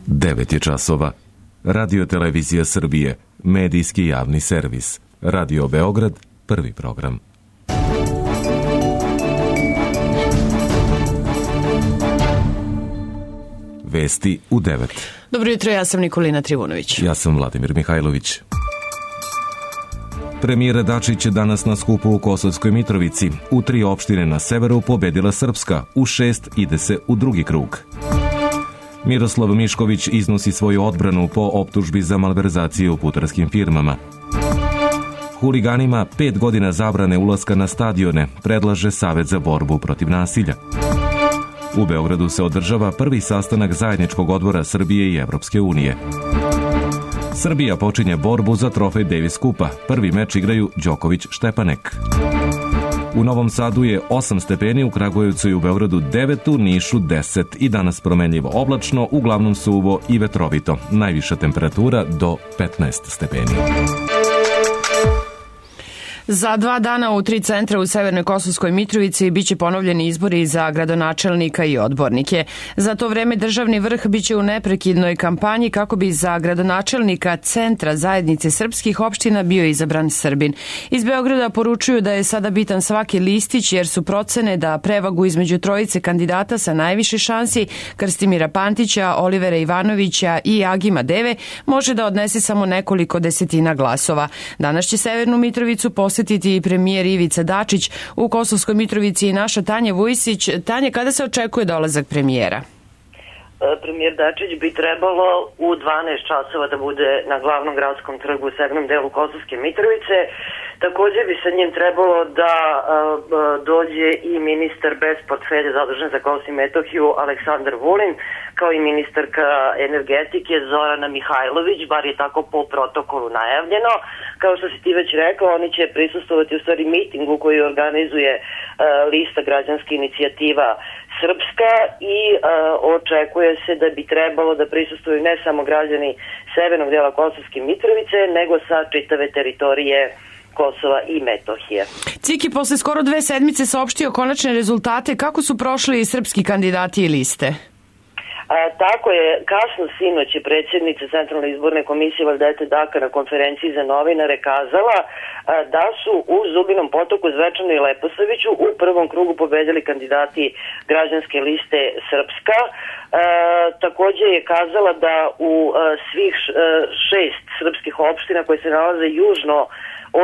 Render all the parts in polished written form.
9 je časova. Radio Televizija Srbije, medijski javni servis. Radio Beograd, prvi program. Vesti u 9. Dobro jutro, ja sam Nikolina Trivunović. Ja sam Vladimir Mihajlović. Premijer Dačić je danas na skupu u Kosovskoj Mitrovici. U 3 opštine na severu pobedila Srpska, u 6 ide se u drugi krug. Miroslav Mišković iznosi svoju odbranu po optužbi za malverzaciju u putarskim firmama. Huliganima 5 godina zabrane ulaska na stadione, predlaže Savet za borbu protiv nasilja. U Beogradu se održava prvi sastanak zajedničkog odbora Srbije i Evropske unije. Srbija počinje borbu za trofej Davis Kupa. Prvi meč igraju Đoković-Štepanek. U Novom Sadu je 8 stepeni, u Kragujevcu i u Beogradu 9, u Nišu 10 i danas promenljivo oblačno, uglavnom suvo i vetrovito. Najviša temperatura do 15 stepeni. Za 2 dana u 3 centra u Severnoj Kosovskoj Mitrovici biće ponovljeni izbori za gradonačelnika i odbornike. Za to vreme državni vrh biće u neprekidnoj kampanji kako bi za gradonačelnika centra zajednice srpskih opština bio izabran Srbin. Iz Beograda poručuju da je sada bitan svaki listić jer su procene da prevagu između trojice kandidata sa najviše šansi, Krstimira Pantića, Olivera Ivanovića i Agima Deve, može da odnese samo nekoliko desetina glasova. Danas će Severnu Mitrovicu posjetiti i premijer Ivica Dačić. U Kosovskoj Mitrovici i naša Tanja Vujsić. Tanja, kada se očekuje dolazak premijera? Premijer Dačić bi trebalo u 12 časova da bude na glavnom gradskom trgu u severnom delu Kosovske Mitrovice. Također bi sa njim trebalo da dođe i ministar bez portfelja zadužen za Kosovo i Metohiju Aleksandar Vulin, kao i ministarka energetike Zorana Mihajlović, bar je tako po protokolu najavljeno. Kao što si ti već rekao, oni će prisustvovati u stvari mitingu koji organizuje lista građanske inicijativa Srpska i očekuje se da bi trebalo da prisustvuju ne samo građani severnog dela Kosovske Mitrovice, nego sa čitave teritorije Kosova i Metohije. CIK je posle skoro 2 sedmice saopštio konačne rezultate. Kako su prošli srpski kandidati i liste? Tako je, kasno sinoć je predsjednica Centralne izborne komisije Valdete Daka na konferenciji za novinare kazala da su u Zubinom Potoku, Zvečanu i Leposaviću u prvom krugu pobedili kandidati građanske liste Srpska. Također je kazala da u svih 6 srpskih opština koje se nalaze južno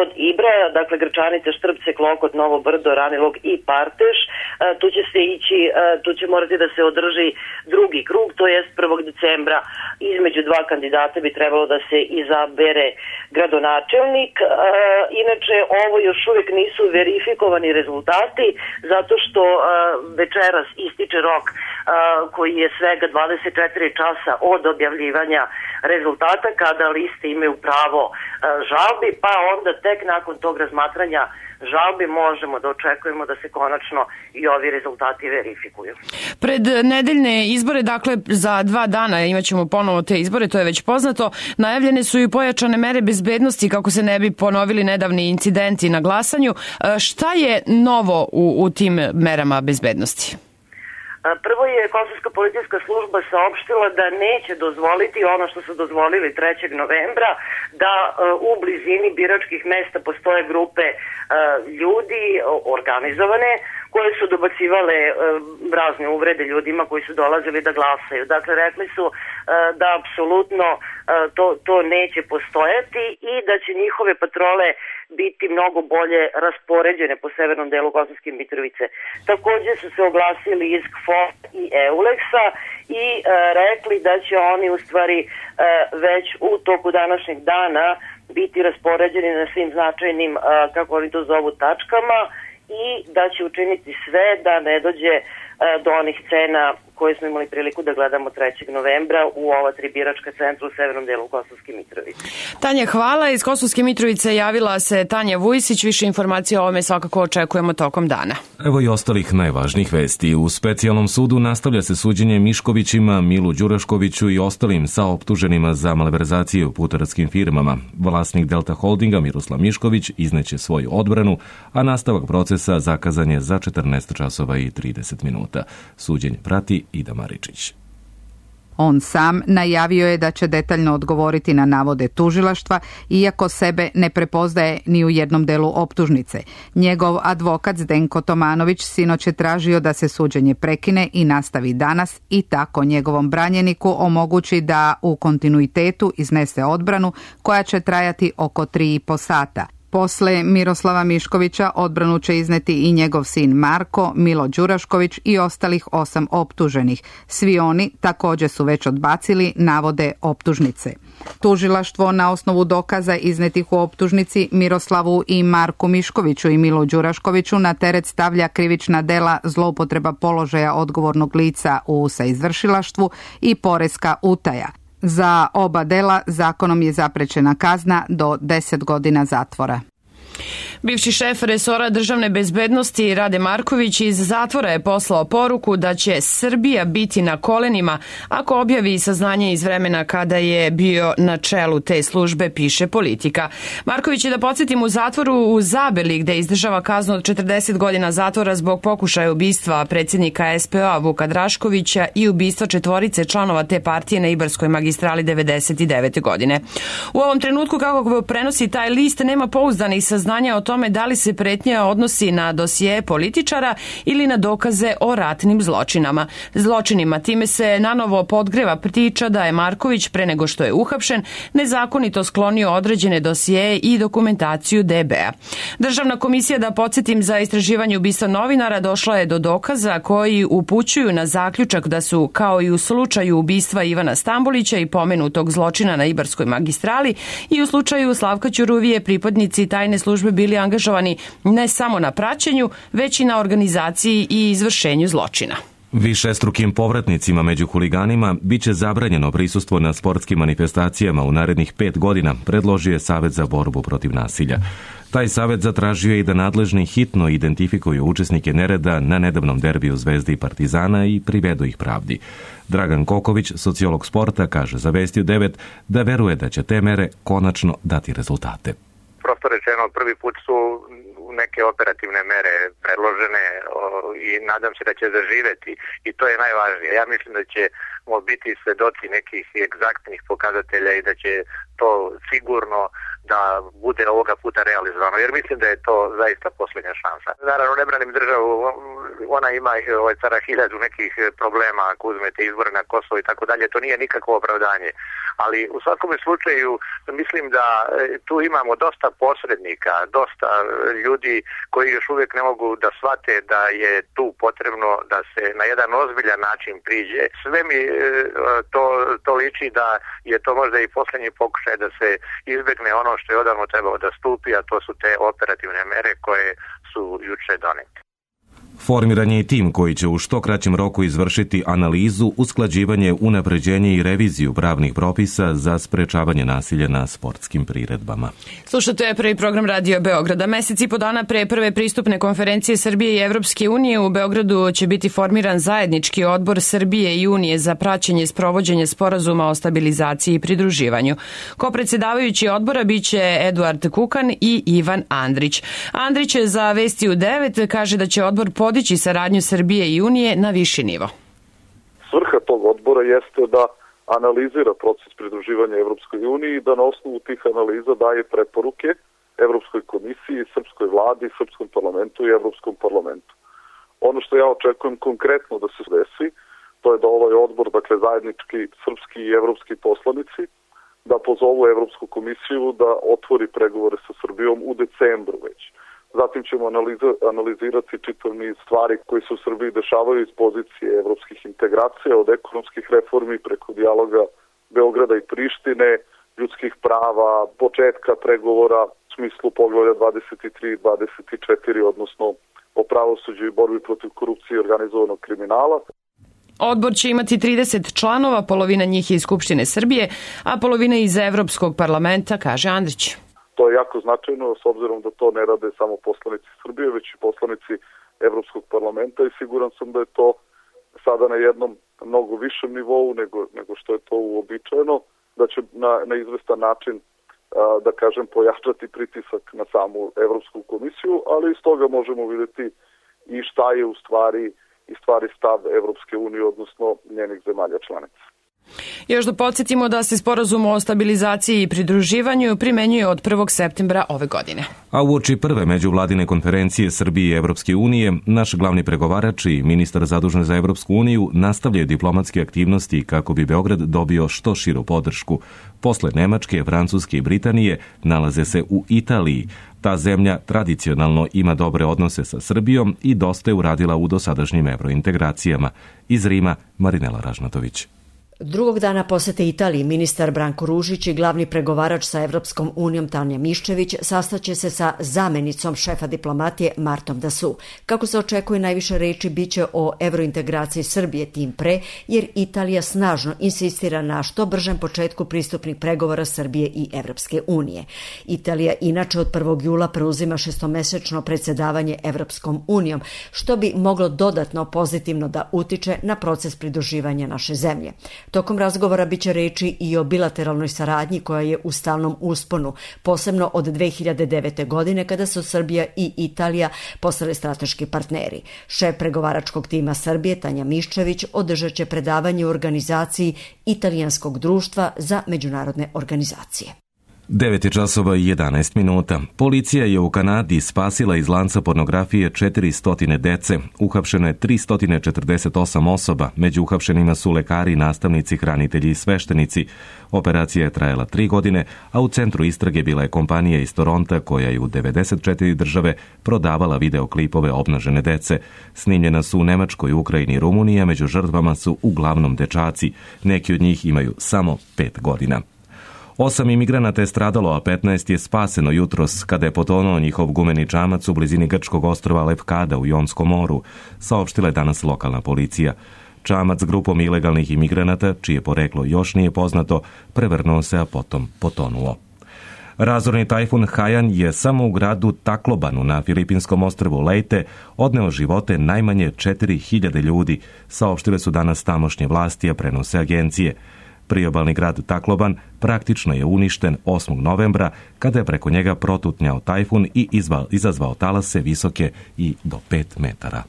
od Ibra, dakle Grčanica, Štrpce, Klokot, Novo Brdo, Ranilog i Parteš, tu će morati da se održi drugi krug, to jest 1. decembra. Između 2 kandidata bi trebalo da se izabere gradonačelnik. Inače, ovo još uvijek nisu verifikovani rezultati, zato što večeras ističe rok koji je svega 24 časa od objavljivanja rezultata, kada liste imaju pravo žalbi, pa onda tek nakon tog razmatranja žalbi možemo da očekujemo da se konačno i ovi rezultati verifikuju. Pred nedeljne izbore, dakle za 2 dana imaćemo ponovo te izbore, to je već poznato. Najavljene su i pojačane mere bezbednosti kako se ne bi ponovili nedavni incidenti na glasanju. Šta je novo u tim merama bezbednosti? Prvo je Kosovska policijska služba saopštila da neće dozvoliti ono što su dozvolili 3. novembra, da u blizini biračkih mesta postoje grupe ljudi organizovane koje su dobacivale razne uvrede ljudima koji su dolazili da glasaju. Dakle, rekli su da apsolutno to neće postojati i da će njihove patrole biti mnogo bolje raspoređene po severnom delu Kosovske Mitrovice. Također su se oglasili iz KFOR i EULEX-a i rekli da će oni u stvari već u toku današnjeg dana biti raspoređeni na svim značajnim, kako oni to zovu, tačkama i da će učiniti sve da ne dođe do onih scena koje smo imali priliku da gledamo 3. novembra u ova 3 biračka centra u severnom delu Kosovske Mitrovice. Tanja, hvala. Iz Kosovske Mitrovice javila se Tanja Vujsić. Više informacija o ovome svakako očekujemo tokom dana. Evo i ostalih najvažnijih vesti. U specijalnom sudu nastavlja se suđenje Miškovićima, Milu Đuraškoviću i ostalim saoptuženima za malverzacije u putarskim firmama. Vlasnik Delta Holdinga Miroslav Mišković izneće svoju odbranu, a nastavak procesa zakazan je za 14 časova i 30 minuta. Suđenje prati Ida Maričić. On sam najavio je da će detaljno odgovoriti na navode tužilaštva, iako sebe ne prepoznaje ni u jednom delu optužnice. Njegov advokat Zdenko Tomanović sinoć je tražio da se suđenje prekine i nastavi danas i tako njegovom branjeniku omogući da u kontinuitetu iznese odbranu koja će trajati oko 3,5 sata. Posle Miroslava Miškovića odbranu će izneti i njegov sin Marko, Milo Đurašković i ostalih 8 optuženih. Svi oni također su već odbacili navode optužnice. Tužilaštvo na osnovu dokaza iznetih u optužnici Miroslavu i Marku Miškoviću i Milu Đuraškoviću na teret stavlja krivična dela zloupotreba položaja odgovornog lica u saizvršilaštvu i poreska utaja. Za oba dela zakonom je zaprećena kazna do 10 godina zatvora. Bivši šef resora državne bezbednosti Rade Marković iz zatvora je poslao poruku da će Srbija biti na kolenima ako objavi saznanje iz vremena kada je bio na čelu te službe, piše Politika. Marković je, da podsjetim, u zatvoru u Zabeli, gde izdržava kaznu od 40 godina zatvora zbog pokušaja ubistva predsjednika SPO Vuka Draškovića i ubistva 4 članova te partije na Ibarskoj magistrali 99. godine. U ovom trenutku, kako prenosi taj list, nema pouzdanih saznanja o tome da li se pretnja odnosi na dosije političara ili na dokaze o ratnim zločinima. Time se nanovo podgreva priča da je Marković, pre nego što je uhapšen, nezakonito sklonio određene dosije i dokumentaciju DB-a. Državna komisija, da podsjetim, za istraživanje ubistva novinara došla je do dokaza koji upućuju na zaključak da su, kao i u slučaju ubistva Ivana Stambolića i pomenutog zločina na Ibarskoj magistrali, i u slučaju Slavka Ćuruvije pripadnici tajne službe bili angažovani ne samo na praćenju, već i na organizaciji i izvršenju zločina. Višestrukim povratnicima među huliganima biće zabranjeno prisustvo na sportskim manifestacijama u narednih 5 godina, predložio je Savet za borbu protiv nasilja. Taj savet zatražio je i da nadležni hitno identifikuju učesnike nereda na nedavnom derbiju Zvezde i Partizana i privedu ih pravdi. Dragan Koković, sociolog sporta, kaže za Vestiju 9 da veruje da će te mere konačno dati rezultate. Prosto rečeno, prvi put su neke operativne mere predložene i nadam se da će zaživeti i to je najvažnije. Ja mislim da ćemo biti svedoci nekih egzaktnih pokazatelja i da će to sigurno da bude ovoga puta realizovano, jer mislim da je to zaista posljednja šansa. Naravno, ne branim državu, ona ima cara 1000 nekih problema ako uzmete izbore na Kosovo i tako dalje, to nije nikakvo opravdanje. Ali u svakom slučaju mislim da tu imamo dosta posrednika, dosta ljudi koji još uvijek ne mogu da shvate da je tu potrebno da se na jedan ozbiljan način priđe. Sve mi to liči da je to možda i posljednji pokušaj da se izbjegne ono što je odavno trebalo da stupi, a to su te operativne mere koje su juče donete. Formiran je i tim koji će u što kraćem roku izvršiti analizu, usklađivanje, unapređenje i reviziju pravnih propisa za sprečavanje nasilja na sportskim priredbama. Slušate prvi program Radio Beograda. Mesec i po dana pre prve pristupne konferencije Srbije i Evropske unije u Beogradu će biti formiran zajednički odbor Srbije i Unije za praćenje sprovođenja sporazuma o stabilizaciji i pridruživanju. Ko-predsjedavajući odbora biće Eduard Kukan i Ivan Andrić. Andrić je za Vestiju 9 kaže da će odbor podići saradnju Srbije i Unije na viši nivo. Svrha tog odbora jeste da analizira proces pridruživanja Evropskoj uniji i da na osnovu tih analiza daje preporuke Evropskoj komisiji, Srpskoj vladi, Srpskom parlamentu i Evropskom parlamentu. Ono što ja očekujem konkretno da se desi, to je da ovaj odbor, dakle zajednički srpski i evropski poslanici, da pozovu Evropsku komisiju da otvori pregovore sa Srbijom u decembru već. Zatim ćemo analizirati čitav niz stvari koji se u Srbiji dešavaju iz pozicije evropskih integracija, od ekonomskih reformi preko dijaloga Beograda i Prištine, ljudskih prava, početka pregovora u smislu poglavlja 23 i 24, odnosno o pravosuđu i borbi protiv korupcije i organizovanog kriminala. Odbor će imati 30 članova, polovina njih je iz Skupštine Srbije, a polovina iz Evropskog parlamenta, kaže Andrić. To je jako značajno, s obzirom da to ne rade samo poslanici Srbije, već i poslanici Evropskog parlamenta i siguran sam da je to sada na jednom mnogo višem nivou nego što je to uobičajeno, da će na izvestan način, da kažem, pojačati pritisak na samu Evropsku komisiju, ali iz toga možemo vidjeti i šta je u stvari stav Evropske unije, odnosno njenih zemalja članica. Još da podsjetimo da se sporazum o stabilizaciji i pridruživanju primenjuje od 1. septembra ove godine. A uoči prve međuvladine konferencije Srbije i Evropske unije, naš glavni pregovarač i ministar zadužen za Evropsku uniju nastavljaju diplomatske aktivnosti kako bi Beograd dobio što širu podršku. Posle Nemačke, Francuske i Britanije nalaze se u Italiji. Ta zemlja tradicionalno ima dobre odnose sa Srbijom i dosta je uradila u dosadašnjim evrointegracijama. Iz Rima, Marinela Ražnatović. Drugog dana posete Italiji ministar Branko Ružić i glavni pregovarač sa Evropskom unijom Tanja Miščević sastaće se sa zamenicom šefa diplomatije Martom Dasu. Kako se očekuje, najviše reči biće o evrointegraciji Srbije, tim pre, jer Italija snažno insistira na što bržem početku pristupnih pregovora Srbije i Evropske unije. Italija inače od 1. jula preuzima šestomesečno predsjedavanje Evropskom unijom, što bi moglo dodatno pozitivno da utiče na proces pridruživanja naše zemlje. Tokom razgovora biće reči i o bilateralnoj saradnji koja je u stalnom usponu, posebno od 2009. godine kada su Srbija i Italija postale strateški partneri. Šef pregovaračkog tima Srbije, Tanja Miščević, održat će predavanje u organizaciji Italijanskog društva za međunarodne organizacije. 9 časova i 11 minuta. Policija je u Kanadi spasila iz lanca pornografije 400 dece. Uhapšeno je 348 osoba. Među uhapšenima su lekari, nastavnici, hranitelji i sveštenici. Operacija je trajala 3 godine, a u centru istrage bila je kompanija iz Toronta koja je u 94 države prodavala videoklipove obnažene dece. Snimljena su u Nemačkoj, Ukrajini i Rumuniji, a među žrtvama su uglavnom dečaci. Neki od njih imaju samo 5 godina. 8 imigranata je stradalo, a 15 je spaseno jutros kada je potonuo njihov gumeni čamac u blizini grčkog ostrva Lefkada u Jonskom moru, saopštila je danas lokalna policija. Čamac s grupom ilegalnih imigranata, čije poreklo još nije poznato, prevrnuo se, a potom potonuo. Razorni tajfun Haiyan je samo u gradu Taklobanu na filipinskom ostrvu Leyte odneo živote najmanje 4000 ljudi, saopštile su danas tamošnje vlasti, a prenose agencije. Priobalni grad Takloban praktično je uništen 8. novembra kada je preko njega protutnjao tajfun i izazvao talase visoke i do 5 metara.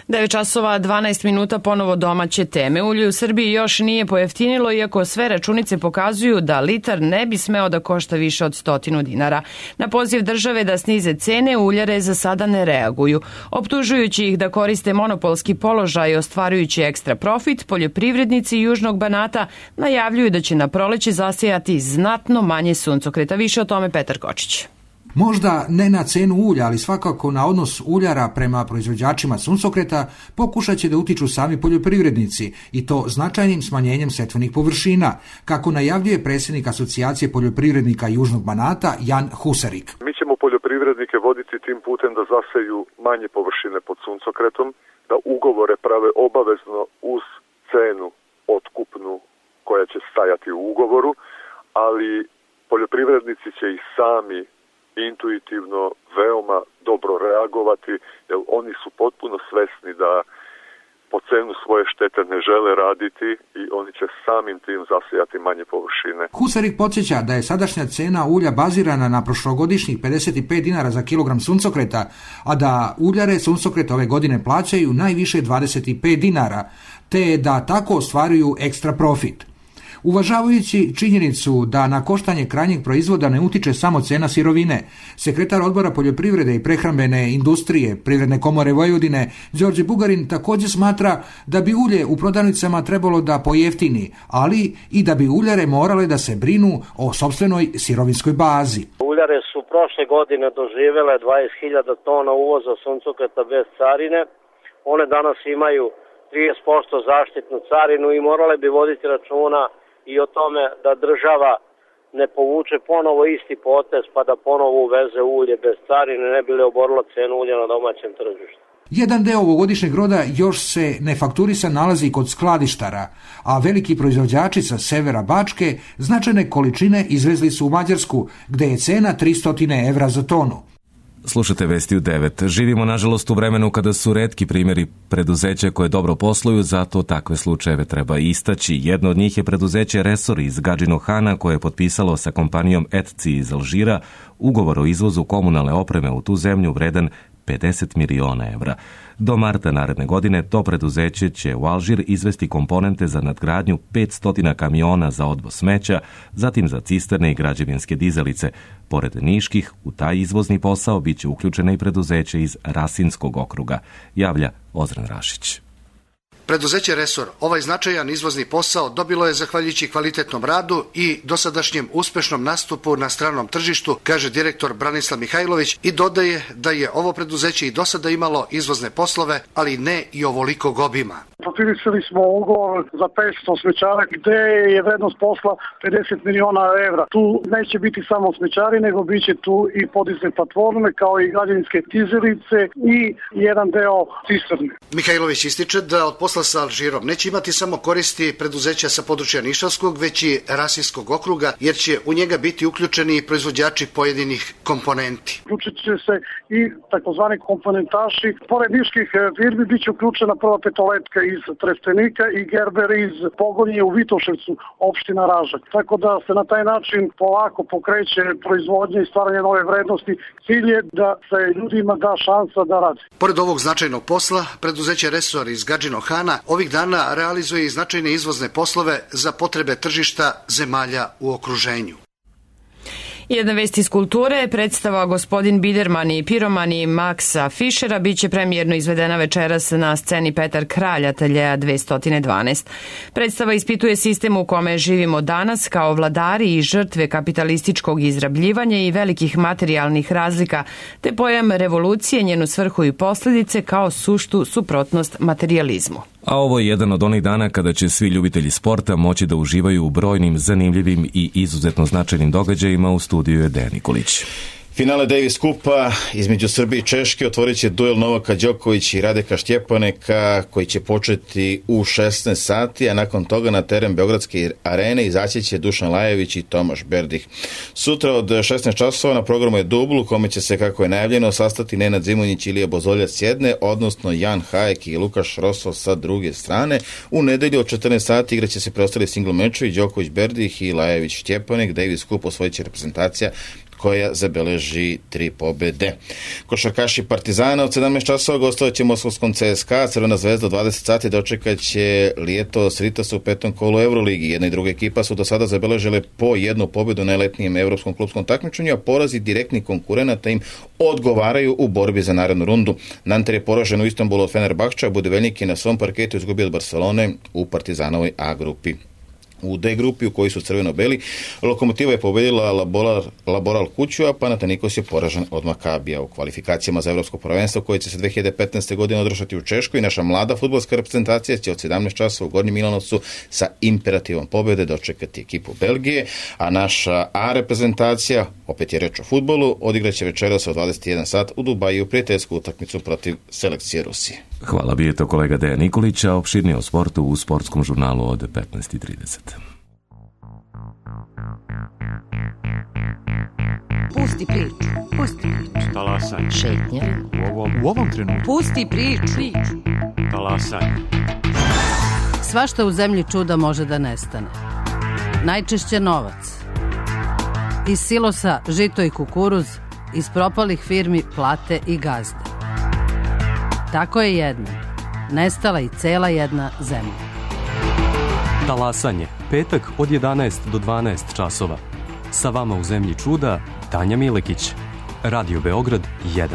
9 časova 12 minuta, ponovo domaće teme. Ulje u Srbiji još nije pojeftinilo, iako sve računice pokazuju da litar ne bi smeo da košta više od 100 dinara. Na poziv države da snize cene, uljare za sada ne reaguju. Optužujući ih da koriste monopolski položaj i ostvarujući ekstra profit, poljoprivrednici Južnog Banata najavljuju da će na proleće zasijati znatno manje suncokreta. Više o tome Petar Kočić. Možda ne na cenu ulja, ali svakako na odnos uljara prema proizvođačima suncokreta pokušat će da utiču sami poljoprivrednici i to značajnim smanjenjem setvenih površina, kako najavljuje predsjednik Asocijacije poljoprivrednika Južnog Banata Jan Husarik. Mi ćemo poljoprivrednike voditi tim putem da zaseju manje površine pod suncokretom, da ugovore prave obavezno uz cenu otkupnu koja će stajati u ugovoru, ali poljoprivrednici će i sami intuitivno veoma dobro reagovati, jer oni su potpuno svesni da po cenu svoje štete ne žele raditi i oni će samim tim zasijati manje površine. Husarik podsjeća da je sadašnja cena ulja bazirana na prošlogodišnjih 55 dinara za kilogram suncokreta, a da uljare suncokret ove godine plaćaju najviše 25 dinara, te da tako ostvaruju ekstra profit. Uvažavajući činjenicu da na koštanje krajnjeg proizvoda ne utiče samo cena sirovine, sekretar odbora poljoprivrede i prehrambene industrije Privredne komore Vojvodine Đorđe Bugarin također smatra da bi ulje u prodavnicama trebalo da pojeftini, ali i da bi uljare morale da se brinu o sopstvenoj sirovinskoj bazi. Uljare su prošle godine doživjele 20.000 tona uvoza suncokreta bez carine. One danas imaju 30% zaštitnu carinu i morale bi voditi računa i o tome da država ne povuče ponovo isti potez pa da ponovo uveze ulje bez carine, ne bi li oborila cenu ulja na domaćem tržištu. Jedan deo ovogodišnjeg roda još se nefakturisan nalazi kod skladištara, a veliki proizvođači sa severa Bačke značajne količine izvezli su u Mađarsku, gde je cena 300 evra za tonu. Slušate Vesti u 9. Živimo, nažalost, u vremenu kada su retki primjeri preduzeća koje dobro posluju, zato takve slučajeve treba istaći. Jedno od njih je preduzeće Resor iz Gadžinog Hana, koje je potpisalo sa kompanijom ETCI iz Alžira ugovor o izvozu komunalne opreme u tu zemlju vredan 50 miliona evra. Do marta naredne godine to preduzeće će u Alžir izvesti komponente za nadgradnju 500 kamiona za odvoz smeća, zatim za cisterne i građevinske dizelice. Pored niških, u taj izvozni posao biće uključeno i preduzeće iz Rasinskog okruga, javlja Ozren Rašić. Preduzeće Resor ovaj značajan izvozni posao dobilo je zahvaljujući kvalitetnom radu i dosadašnjem uspešnom nastupu na stranom tržištu, kaže direktor Branislav Mihajlović i dodaje da je ovo preduzeće i do sada imalo izvozne poslove, ali ne i ovolikog obima. Potpisali smo ugovor za 500 smećara gde je vrednost posla 50 miliona evra. Tu neće biti samo smećari, nego biće tu i podizne platforme kao i građevinske dizelice i jedan deo cisterne. Mihajlović ističe da od posla sa Alžirom neće imati samo koristi preduzeća sa područja Nišavskog, već i Rasinskog okruga, jer će u njega biti uključeni i proizvođači pojedinih komponenti. Uključit će se i takozvani komponentaši. Pored niških firmi biće uključena Prva petoletka iz Trstenika i Gerber iz Pogonje u Vitoševcu, opština Ražak. Tako da se na taj način polako pokreće proizvodnja i stvaranje nove vrednosti. Cilj je da se ljudima da šansa da radi. Pored ovog značajnog posla, preduzeće Resor iz Gadžinog Hana ovih dana realizuje i značajne izvozne poslove za potrebe tržišta zemalja u okruženju. Jedna vest iz kulture, predstava Gospodin Biderman i piromani Maksa Fišera biće premijerno izvedena večeras na sceni Petar Kralj, ateljeja 212. Predstava ispituje sistem u kome živimo danas kao vladari i žrtve kapitalističkog izrabljivanja i velikih materijalnih razlika, te pojam revolucije, njenu svrhu i posljedice kao suštu suprotnost materijalizmu. A ovo je jedan od onih dana kada će svi ljubitelji sporta moći da uživaju u brojnim, zanimljivim i izuzetno značajnim događajima. U studiju je Dejan Nikolić. Finale Davis Kupa između Srbije i Češke otvorit će duel Novaka Đoković i Radeka Štjepaneka koji će početi u 16 sati, a nakon toga na teren Beogradske arene izaći će Dušan Lajević i Tomaš Berdih. Sutra od 16 časova na programu je dubl u kome će se, kako je najavljeno, sastati Nenad Zimonjić i Ilija Bozoljac s jedne, odnosno Jan Hajek i Lukaš Rosov sa druge strane. U nedelju od 14 sati igraće se preostali single mečevi Đoković Berdih i Lajević Štjepanek. Davis Kup osvojit će reprezentacija koja zabeleži 3 pobede. Košarkaši Partizana od 17 časova gostovat će moskovskom CSKA, Crvena zvezda od 20 sati dočekat će Lietos Ritas u 5. kolu Euroligi. Jedna i druga ekipa su do sada zabeležile po jednu pobedu na letnijem evropskom klubskom takmičenju, a porazi direktnih konkurenata im odgovaraju u borbi za narednu rundu. Nanter je poražen u Istanbulu od Fenerbahča, Budivelnik je na svom parketu izgubio od Barcelone u Partizanovoj A grupi. U D grupi u kojoj su crveno-beli, Lokomotiva je pobedila Laboral Kuću, a Panathinaikos je poražen od Makabija. U kvalifikacijama za evropsko prvenstvo koje će se 2015. godine održati u Češkoj, naša mlada fudbalska reprezentacija će od 17 časova u Gornjem Milanovcu sa imperativom pobede dočekati ekipu Belgije, a naša A reprezentacija, opet je reč o fudbalu, odigraće večeras od 21 sat u Dubaju prijateljsku utakmicu protiv selekcije Rusije. Hvala, bi je to kolega Dejan Nikolić, a opširnije o sportu u sportskom žurnalu od 15:30. Pusti priču, pusti priču. Talasanje. Šetnja. U ovom trenutku. Pusti priču. Talasanje. Svašta u zemlji čuda može da nestane. Najčešće novac. Iz silosa žito i kukuruz, iz propalih firmi plate i gazde. Tako je jedna. Nestala i cela jedna zemlja. Talasanje. Petak od 11 do 12 časova. Sa vama u zemlji čuda Tanja Milekić. Radio Beograd 1.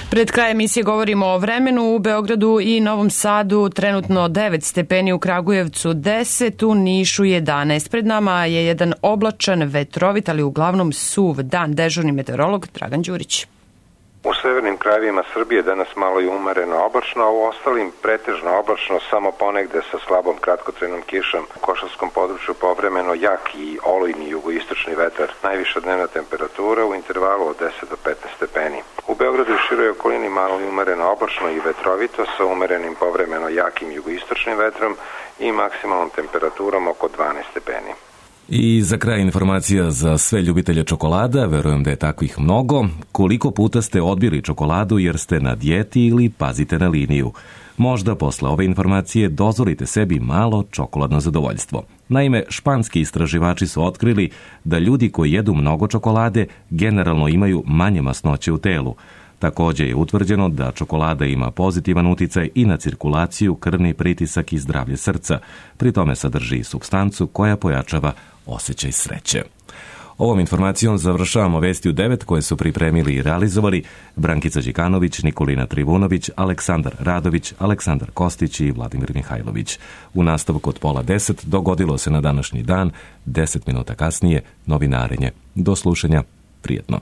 Pred kraj emisije govorimo o vremenu. U Beogradu i Novom Sadu trenutno 9 stepeni, u Kragujevcu 10, u Nišu 11. Pred nama je jedan oblačan, vetrovit, ali uglavnom suv dan. Dežurni meteorolog Dragan Đurić. U severnim krajevima Srbije danas malo je umereno oblačno, a u ostalim pretežno oblačno, samo ponegde sa slabom kratkotrajnom kišom. U Košavskom području povremeno jak i olujni jugoistočni vetar. Najviša dnevna temperatura u intervalu od 10 do 15 stepeni. U Beogradu i široj okolini malo je umereno oblačno i vetrovito sa umerenim povremeno jakim jugoistočnim vetrom i maksimalnom temperaturom oko 12 stepeni. I za kraj informacija za sve ljubitelje čokolada, verujem da je takvih mnogo. Koliko puta ste odbili čokoladu jer ste na dijeti ili pazite na liniju? Možda posle ove informacije dozvolite sebi malo čokoladno zadovoljstvo. Naime, španski istraživači su otkrili da ljudi koji jedu mnogo čokolade generalno imaju manje masnoće u telu. Također je utvrđeno da čokolada ima pozitivan uticaj i na cirkulaciju, krvni pritisak i zdravlje srca. Pri tome sadrži i supstancu koja pojačava osjećaj sreće. Ovom informacijom završavamo Vesti u 9 koje su pripremili i realizovali Brankica Đikanović, Nikolina Trivunović, Aleksandar Radović, Aleksandar Kostić i Vladimir Mihajlović. U nastavku od 9:30 dogodilo se na današnji dan, 10 minuta kasnije novinarenje. Do slušanja, prijetno.